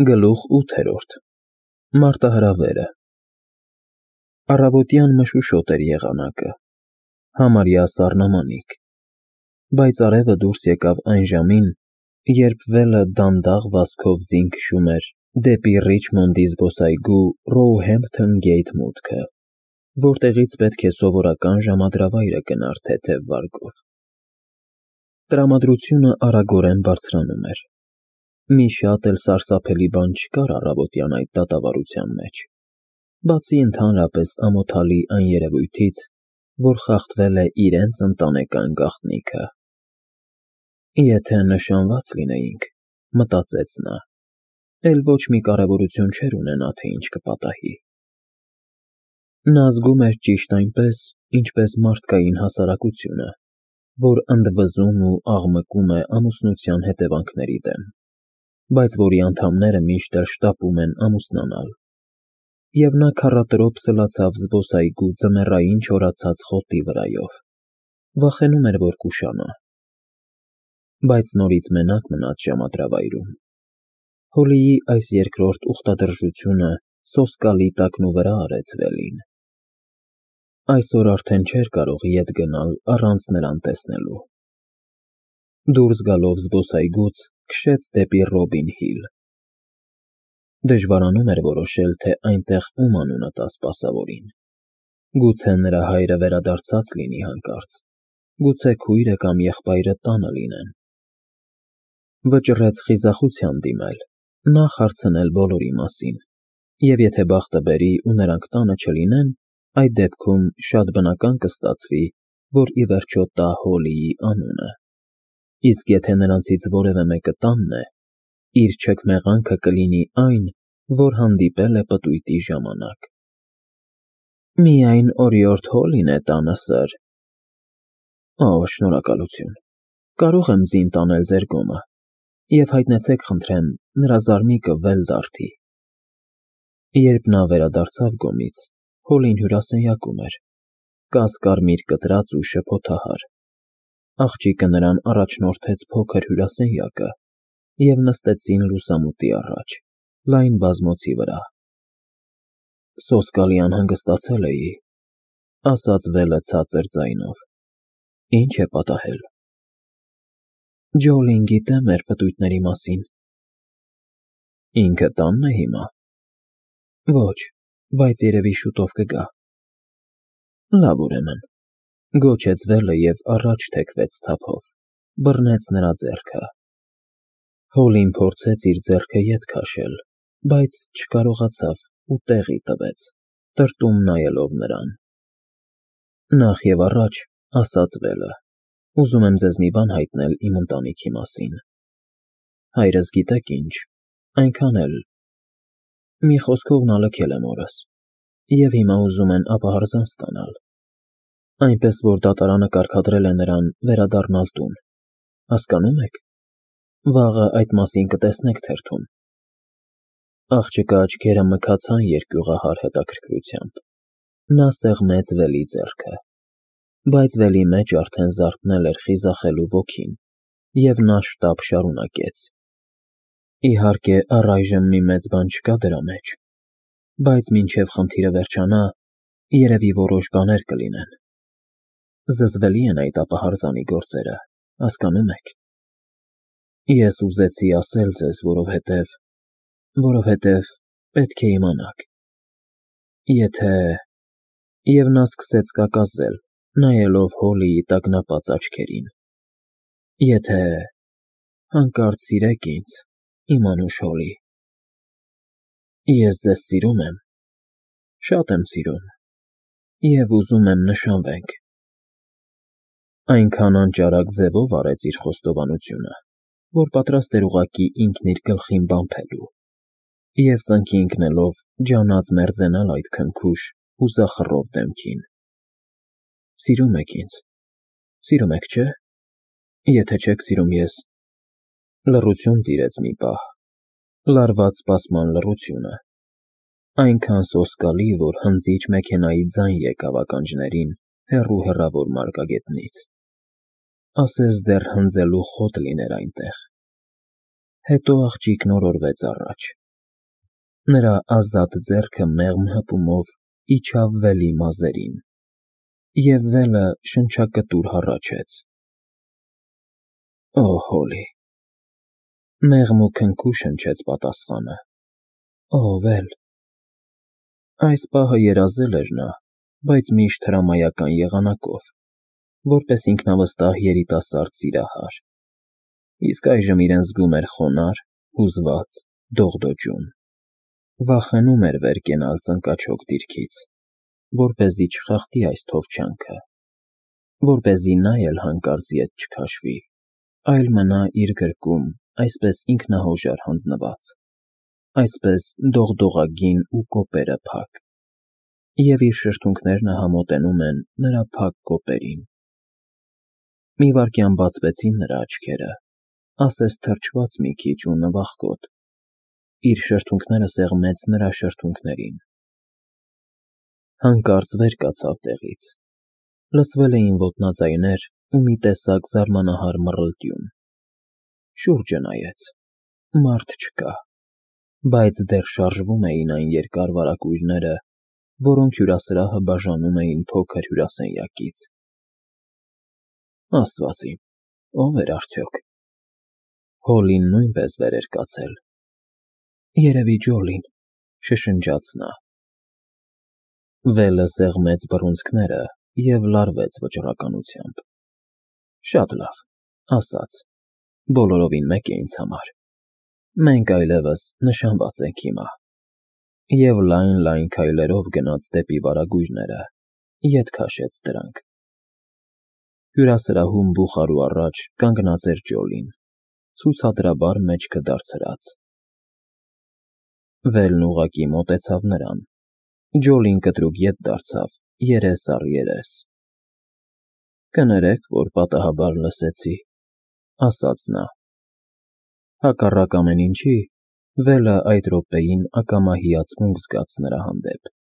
Գլուխ 8. Մարտահրավերը։ Առավոտյան մշուշոտ էր եղանակը, համարյա սառնամանիք, բայց արևը դուրս եկավ այն ժամին, երբ վելը դանդաղ վազքով ձին քշում էր դեպի Ռիչմոնդի զբոսայգու Ռոուհեմփթոն Գեյթ մուտքը, որտեղից պետք է սովորական ժամադրավայրը գնար թեթև վարգով։ Տրամադրությունը արագորեն բարձրանում էր։ Մի շատ էլ սարսափելի բան չկար առավոտյան այդ դատավարության մեջ, բացի ընդհանրապես ամոթալի այն երևույթից, որ խախտվել է իրենց ընտանեկան գաղտնիքը։ Եթե նշանված լինեինք, մտածեց նա, էլ ոչ մի կարևորություն չէր ունենա, թե ինչ կպատահի։ Նա զգում էր ճիշտ այնպես, ինչպես մարդկային հասարակությունը, որ ընդվզում ու աղմկում է ամուսնության հետևանքների դեմ, բայց որի անդամները միշտ էլ շտապում են ամուսնանալ, և նա քառատրոփ սլացավ զբոսայգու ձմեռային չորացած խոտի վրայով, վախենում էր, որ կուշանա, բայց նորից մենակ մնաց ժամադրավայրում։ Հոլիի այս երկրորդ ուխտադրժությունը սոսկալի տակնուվրա արեց Վելին։ Այսօր արդեն չէր կարող ետ գնալ առանց նրան տեսնելու։ Դուրս գալով զբոսայգուց, քշեց դեպի Ռոբին Հիլ։ Դժվարանում էր որոշել, թե այնտեղ ում անունը տա սպասավորին։ Գուցե նրա հայրը վերադարձած լինի հանկարծ, գուցե քույրը կամ եղբայրը տանը լինեն։ Վճռեց խիզախության դիմել, նախ հարցնել բոլորի մասին, և եթե բախտը բերի ու նրանք տանը չլինեն, այդ դեպքում շատ բնական կստացվի, որ ի վերջո տա Հոլիի անունը, իսկ եթե նրանցից որևէ մեկը տանն է, իր չքմեղանքը կլինի այն, որ հանդիպել է պտույտի ժամանակ։ Միայն օրիորդ Հոլին է տանը, սըր։ Օ, շնորհակալություն, կարող եմ ձին տանել ձեր գոմը, և հայտնեցեք, խնդրեմ, նրա զարմիկը վել դարդի։ Երբ նա վերադարձավ գոմից, Հոլին հյուրասենյակում էր, կասկարմիր կտրած ու շփոթահար։ Աղջիկը նրան առաջնորդեց փոքր հյուրասենյակը, և նստեցին լուսամուտի առաջ, լայն բազմոցի վրա։ Սոսկալի անհանգստացել էի, ասաց Վելը ցածր ձայնով։ Ինչ է պատահել։ Ջոլին գիտե մեր պտույտների մասին։ Ինքը տանն է հիմա։ Ոչ, բայց երևի շուտով կգա։ Լավ, ուրեմն, գոչեց Վելը և առաջ թեքվեց թափով, բռնեց նրա ձեռքը։ Հոլին փորձեց իր ձեռքը ետ քաշել, բայց չկարողացավ ու տեղի տվեց, տրտում նայելով նրան։ Նախ և առաջ, ասաց Վելը, ուզում եմ ձեզ մի բան հայտնել իմ ընտանիքի մասին։ Հայրս գիտեք ինչ, այնքան էլ… Մի խոսքով նա լքել է մորս, և հիմա ուզում են ապահարզան ստանալ, այնպես որ դատարանը կարգադրել է նրան վերադառնալ տուն, հասկանո՞ւմ եք։ Վաղը այդ մասին կտեսնեք թերթում։ Աղջկա աչքերը մքացան երկյուղահար հետաքրքրությամբ։ Նա սեղմեց Վելի ձեռքը, բայց Վելի մեջ արդեն զարթնել էր խիզախելու ոգին, և նա շտապ շարունակեց. Իհարկե, առայժմ մի մեծ բան չկա դրա մեջ, բայց մինչև խնդիրը վերջանա, երևի որոշ բաներ կլինեն։ Զզվելի են այդ ապահարզանի գործերը, հասկանո՞մ եք։ Ես ուզեցի ասել ձեզ, որովհետև պետք է իմանաք։ Եթե… Եվ նա սկսեց կակազել, նայելով Հոլիի տագնապած աչքերին։ Եթե… հանկարծ սիրեք ինձ, իմ անուշ Հոլի։ Ես ձեզ սիրում եմ, շատ եմ սիրում, և ուզում եմ նշանվենք։ Այնքան անճարակ ձևով արեց իր խոստովանությունը, որ պատրաստ էր ուղղակի ինքն իր գլխին բանբելու, և ծնկի ընկնելով ջանած մերձենալ այդ քնքուշ, հուզախռով դեմքին։ Սիրում եք ինձ, սիրում եք, չէ՞։ Եթե չեք սիրում, ես… Լռություն տիրեց մի պահ, լարված սպասման լռությունը, այնքան սոսկալի, որ հնձիչ մեքենայի ձայն եկավ ականջներին հեռու մարգագետնից, ասես դեռ հնձելու խոտ լիներ այնտեղ։ Հետո աղջիկն օրորվեց առաջ, Նրա ազատ ձեռքը մեղմ հպումով իջավ Վելի մազերին, և Վելը շնչակտուր հառաչեց. «Օ, Հոլի»։ Մեղմ ու քնքուշ հնչեց պատասխանը. «Օ, Վել»։ Այս պահը երազել էր նա, բայց միշտ հրամայական եղանակով, որպես ինքնավստահ երիտասարդ սիրահար, իսկ այժմ իրեն զգում էր խոնարհ, հուզված, դողդոջուն, վախենում էր վեր կենալ ծնկաչոք դիրքից, որպեսզի չխախտի այս թովչյանքը, որպեսզի նա էլ հանկարծ ետ չքաշվի, այլ մնա իր գրկում այսպես ինքնահոժար հանձնված, այսպես դողդողագին ու կոպերը փակ, և իր շրթունքներն համոտենում են նրա փակ կոպերին։ Մի վայրկյան բացվեցին նրա աչքերը, ասես թրջված մի քիչ ու նվախկոտ, իր շրթունքները սեղմեց նրա շրթունքներին։ Հանկարծ վեր կացավ տեղից, լսվել էին ոտնաձայներ ու մի տեսակ զարմանահար մռլտյուն։ Շուրջը նայեց, մարդ չկա, բայց դեռ շարժվում էին այն երկար վարագույրները, որոնք հյուրասրահը բաժանում էին փոքր հյուրասենյակից։ Աստված իմ, ո՞վ էր արդյոք։ Հոլին նույնպես վեր էր կացել։ Երևի Ջոլին, շշնջաց նա։ Վելը սեղմեց բռունցքները և լարվեց վճռականությամբ։ Շատ լավ, ասաց, բոլորովին մեկ է ինձ համար։ Մենք այլևս նշանված ենք հիմա։ Եվ լայն քայլերով գնաց դեպի վարագույրները, ետ քաշեց դրանք։ Հյուրասրահում բուխարու առաջ կանգնած էր Ջոլին, ցուցադրաբար մեջքը դարձրած։ Վելն ուղղակի մոտեցավ նրան։ Ջոլին կտրուկ ետ դարձավ, երես առ երես։ Կներեք, որ պատահաբար լսեցի, ասաց նա։ Հակառակ ամեն ինչի, Վելը այդ րոպեին ակամա հիացմունք զգաց նրա հանդեպ։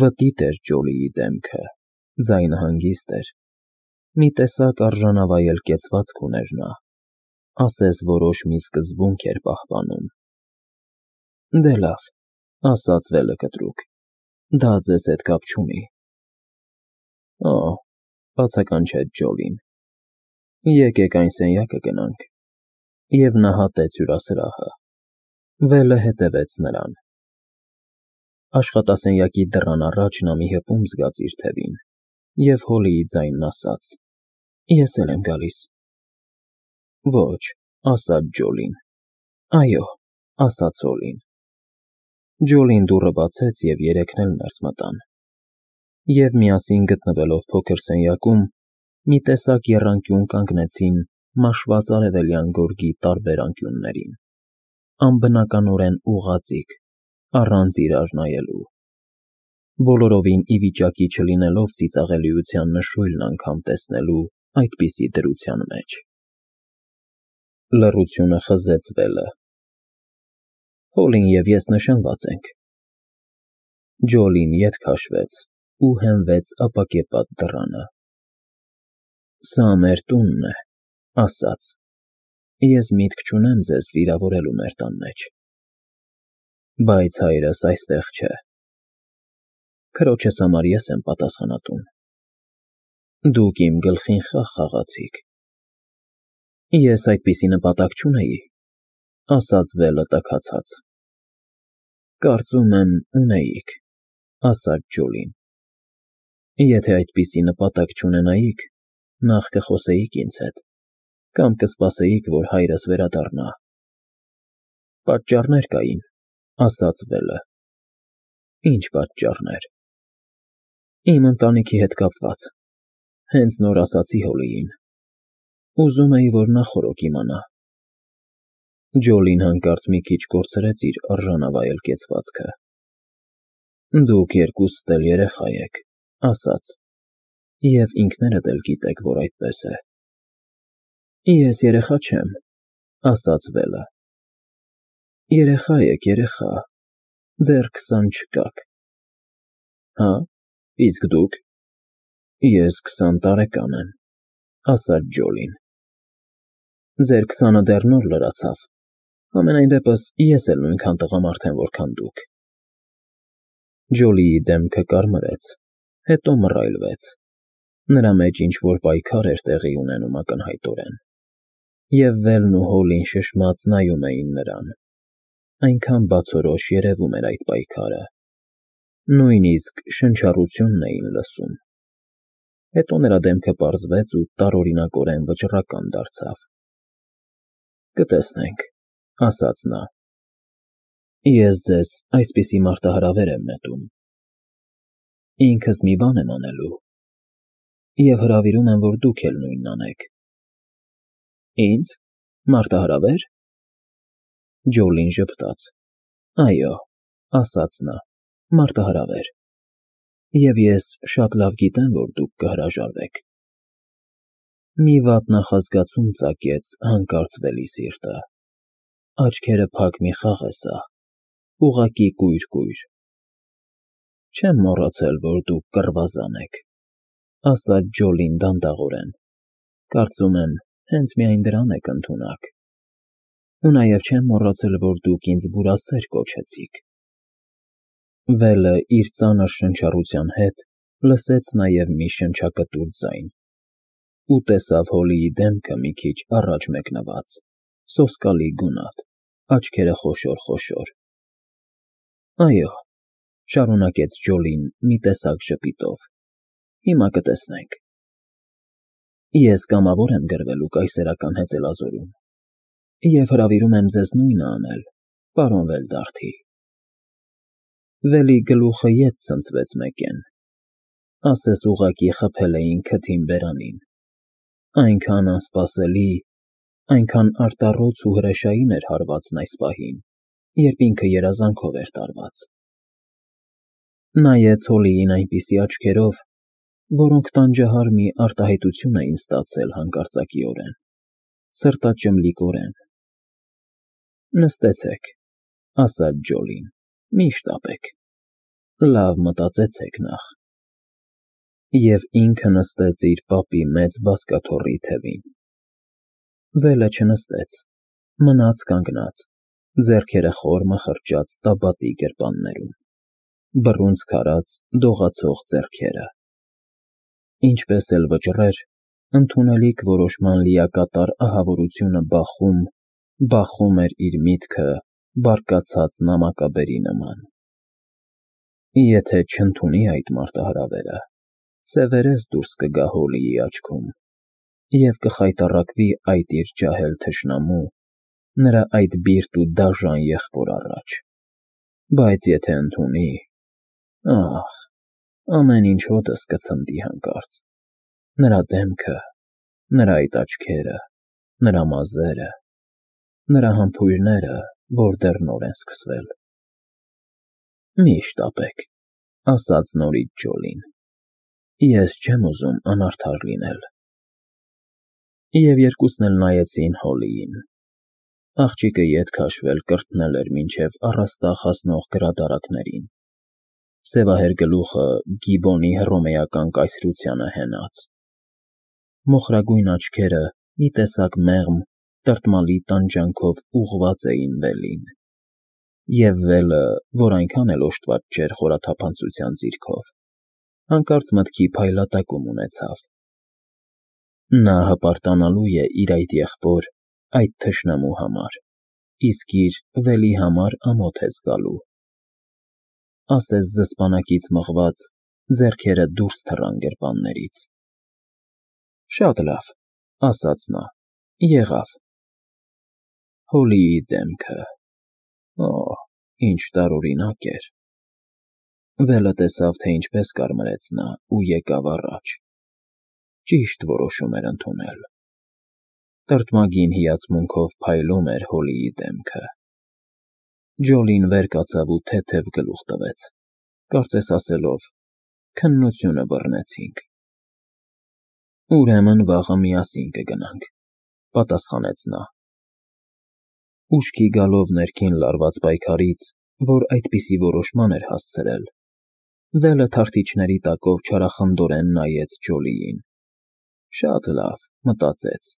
Վտիտ էր Ջոլիի դեմքը, ձայնը հանգիստ էր, մի տեսակ արժանավայել կեցվածք ուներ նա, ասես որոշ մի սկզբունք էր պահպանում։ Դե լավ, ասաց Վելը կտրուկ, դա ձեզ հետ կապ չունի։ Օ, բացականչեց Ջոլին, եկեք այն սենյակը գնանք։ Եվ նա հատեց հյուրասրահը։ Վելը հետևեց նրան։ Աշխատասենյակի դռան առաջ նա մի հպում զգաց իր թևին, և Հոլիի ձայնն ասաց. Ես էլ եմ գալիս։ Ոչ, ասաց Ջոլին։ Այո, ասաց Հոլին։ Ջոլին դուռը բացեց, և երեքն էլ ներս մտան։ Եվ միասին գտնվելով փոքր սենյակում, մի տեսակ եռանկյուն կանգնեցին մաշված արևելյան գորգի տարբեր անկյուններին, անբնականորեն ուղղաձիգ, առանց իրար նայելու, բոլորովին ի վիճակի չլինելով ծիծաղելիության նշույլն անգամ տեսնելու այդպիսի դրության մեջ։ Լռությունը խզեց Վելը։ Հոլին և ես նշանված ենք։ Ջոլին ետ քաշվեց ու հենվեց ապակեպատ դռանը։ Սա մեր տունն է, ասաց։ Ես միտք չունեմ ձեզ վիրավորելու մեր տան մեջ։ Բայց հայրս այստեղ չէ։ Քրոջս համար ես եմ պատասխանատուն։ Դուք իմ գլխին խաղ խաղացիք։ Ես այդպիսի նպատակ չունեի, ասաց Վելը տաքացած։ Կարծում եմ, ունեիք, ասաց Ջոլին։ Եթե այդպիսի նպատակ չունենայիք, նախ կխոսեիք ինձ հետ, կամ կսպասեիք, որ հայրս վերադառնա։ Պատճառներ կային, ասաց Վելը։ Ինչ պատճառներ։ Իմ ընտանիքի հետ կապված։ Հենց նոր ասացի Հոլիին։ Ուզում էի, որ նա խորոք իմանա։ Ջոլին հանկարծ մի քիչ կորցրեց իր արժանավայել կեցվածքը։ Դուք երկուստ էլ երեխա եք, ասաց, և ինքներդ էլ գիտեք, որ այդպես է։ Ես երեխա չեմ, ասաց Վելը։ Երեխա եք, երեխա, դեռ 20 չկաք։ Հա, իսկ դուք։ Ես 20 տարեկան եմ, ասաց Ջոլին։ Ձեր 20-ը դեռ նոր լրացավ, Ամենայն դեպս ես էլ նույնքան տղամարդ եմ, որքան դուք։ Ջոլիի դեմքը կարմրեց, հետո մռայլվեց։ Նրա մեջ ինչ-որ պայքար էր տեղի ունենում ակնհայտորեն, և Վելն ու Հոլին շշմած նայում էին նրան։ Այնքան բացորոշ երևում էր այդ պայքարը, նույնիսկ շնչառությունն էին լսում։ Հետո նրա դեմքը պարզվեց ու տարօրինակորեն վճռական դարձավ։ «Կտեսնենք», ասաց նա։ «Ես ձեզ այսպիսի մարտահրավեր եմ նետում։ Ինքս մի բան եմ անելու, և հրավիրում եմ, որ դուք էլ նույնն անեք»։ «Ինձ մարտահրավե՞ր»։ Ջոլին ժպտաց։ «Այո», ասաց նա, «մարտահրավեր։ Եվ ես շատ լավ գիտեմ, որ դուք կհրաժարվեք»։ Մի վատ նախազգացում ծագեց հանկարծ Վելի սիրտը։ Աչքերը փակ մի խաղ է սա, ուղղակի կույր։ «Չեմ մոռացել, որ դուք կռվազան եք», ասաց Ջոլին դանդաղորեն։ «Կարծում եմ, հենց միայն դրան եք ընդունակ։ Ու նաև չեմ մոռացել, որ դուք ինձ բուրասեր կոչեցիք»։ Վելը իր ծանր շնչառության հետ լսեց նաև մի շնչակտուր ձայն ու տեսավ Հոլիի դեմքը մի քիչ առաջ մեկնված, սոսկալի գունատ, աչքերը խոշոր։ «Այո», շարունակեց Ջոլին մի տեսակ ժպիտով, «հիմա կտեսնենք։ Ես կամավոր եմ գրվելու կայսերական հեծելազորում և հրավիրում եմ ձեզ նույնը անել, պարոն Վելդարթի»։ Վելի գլուխը ետ ցնցվեց մեկեն, ասես ուղղակի խփել էին քթին բերանին։ Այնքան անսպասելի, այնքան արտառոց ու հրեշային էր հարվածն այս պահին, երբ ինքը երազանքով էր տարված։ Նայեց Հոլիին այնպիսի աչքերով, որոնք տանջահար մի արտահայտություն էին ստացել հանկարծակիորեն, սրտաճմլիկորեն։ «Նստեցեք», ասաց Ջոլին, «մի շտապեք, լավ մտածեցեք նախ»։ Եվ ինքը նստեց իր պապի մեծ բազկաթոռի թևին։ Վելը չնստեց, մնաց կանգնած, ձեռքերը խոր մխրճած տաբատի գրպաններում, բռունցք արած դողացող ձեռքերը։ Ինչպես էլ վճռեր, ընդունելիք որոշման լիակատար ահավորությունը բախում էր իր միտքը բարկացած նամակաբերի նման։ Եթե չընդունի այդ մարտահրավերը, սևերես դուրս կգա Հոլիի աչքում և կխայտառակվի այդ իր ջահել թշնամու, նրա այդ բիրտ ու դաժան եղբոր առաջ։ Բայց եթե ընդունի, ահ, ամեն ինչ հոտս կցնդի հանկարծ, նրա դեմքը, նրա այդ աչքերը, նրա մազերը, նրա համբույրները, որ դեռ նոր են սկսվել։ «Մի շտապեք», ասաց նորից Ջոլին, «ես չեմ ուզում անարդար լինել»։ Եվ երկուսն էլ նայեցին Հոլիին։ Աղջիկը ետ քաշվել կրթնել էր մինչև առաստաղ հասնող գրադարակներին, սևահեր գլուխը Գիբոնի հռոմեական կայսրությանը հենած, մոխրագույն աչքերը մի տեսակ մեղմ, տրտմալի տանջանքով ուղղված էին Վելին։ Եվ Վելը, որ այնքան էլ օժտված չէր խորաթափանցության ձիրքով, հանկարծ մտքի փայլատակում ունեցավ։ Նա հպարտանալու է իր այդ եղբոր, այդ թշնամու համար, իսկ իր Վելի համար ամոթ է զգալու։ Ասես զսպանակից մղված, ձեռքերը դուրս թռան գրպաններից։ «Շատ լավ», ասաց նա, «եղավ»։ Հոլիի դեմքը… Օ՜, ինչ տարօրինակ էր։ Վելը տեսավ, թե ինչպես կարմրեց նա ու եկավ առաջ։ Ճիշտ որոշում էր ընդունել։ Տրտմագին հիացմունքով փայլում էր Հոլիի դեմքը։ Ջոլին վեր կացավ ու թեթև գլուխ տվեց, կարծես ասելով. «Քննությունը բռնեցինք»։ «Ուրեմն վաղը միասին կգնանք», պատասխանեց նա։ Ուշքի գալով ներքին լարված պայքարից, որ այդպիսի որոշման էր հասցրել, Վելը թարթիչների տակով չարախնդորեն նայեց Ջոլիին։ Շատ լավ, մտածեց,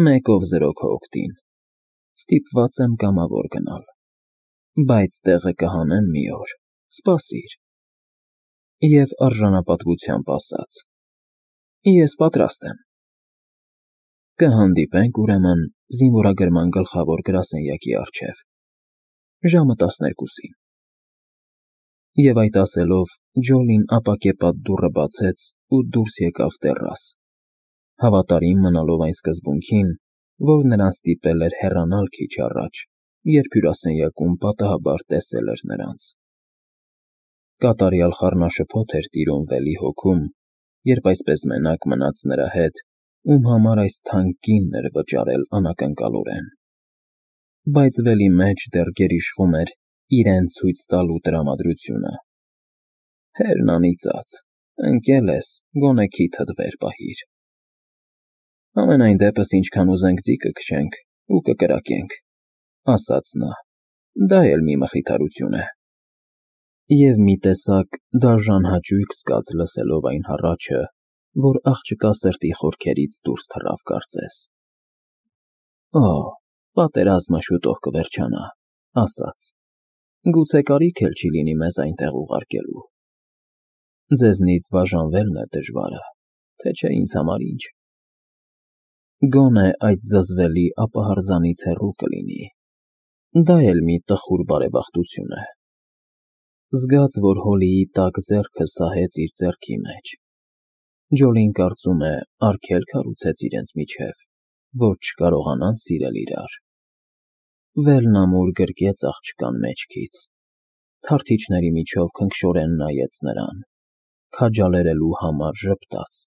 մեկով զրո քո օգտին։ Ստիպված եմ կամավոր գնալ, բայց տեղը կհանեմ մի օր, սպասիր։ Եվ արժանապատվությամբ ասաց. Ես պատրաստ եմ։ Կհանդիպենք ուրեմն զինվորագրման գլխավոր գրասենյակի առջև, ժամը 12-ին։ Եվ այդ ասելով Ջոլին ապակեպատ դուռը բացեց ու դուրս եկավ տեռաս, հավատարիմ մնալով այն սկզբունքին, որ նրան ստիպել էր հեռանալ քիչ առաջ, երբ հյուրասենյակում պատահաբար տեսել էր նրանց։ Կատարյալ խառնաշփոթ էր տիրում Վելի հոգում, երբ այսպես մենակ մնաց նրա հետ, ում համար այս թանկ կինն էր վճարել անակնկալորեն։ Բայց Վելի մեջ դեռ գերիշխում էր իրեն ցույց տալու տրամադրությունը։ Հերն անիծած, ընկել ես, գոնե քիթդ վեր պահիր։ Համենայն դեպս ինչքան ուզենք ձիկը քշենք ու կկրակենք, ասաց նա, դա էլ մի մխիթարություն է։ Եվ մի տեսակ դաժան հաճույք զգաց լսելով այն հառաչը, որ աղջկա սրտի խորքերից դուրս թռավ կարծես։ Օ, պատերազմը շուտով կվերջանա, ասաց, գուցե կարիք էլ չի լինի մեզ այնտեղ ուղարկելու։ Ձեզնից բաժանվելն է դժվարը, թե չէ ինձ համար ինչ։ Գոնե այդ զզվելի ապահարզանից հեռու կլինի։ Դա էլ մի տխուր բարեբախտություն է։ Զգաց, որ Հոլիի տաք ձեռքը սահեց իր ձեռքի մեջ։ Ջոլին կարծում է արգելք հարուցեց իրենց միջև, որ չկարողանան սիրել իրար։ Վելն ամուր գրկեց աղջկան մեջքից, թարթիչների միջով քնքշորեն նայեց նրան, քաջալերելու համար ժպտաց,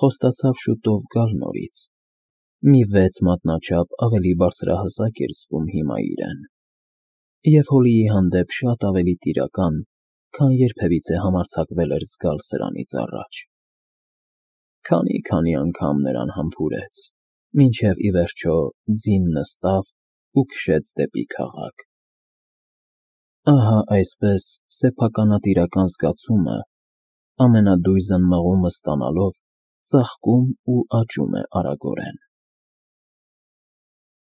խոստացավ շուտով գալ նորից։ Մի 6 մատնաչափ ավելի բարձրահասակ էր զգում հիմա իրեն, և Հոլիի հանդեպ շատ ավելի տիրական, քան երբևիցե համարձակվել էր զգալ սրանից առաջ։ Քանի անգամ նրան համբուրեց, մինչև ի վերջո ձին նստավ ու քշեց դեպի քաղաք։ Ահա այսպես սեփականատիրական զգացումը, ամենադույզն մղումը ստանալով, ծաղկում ու աճում է արագորեն։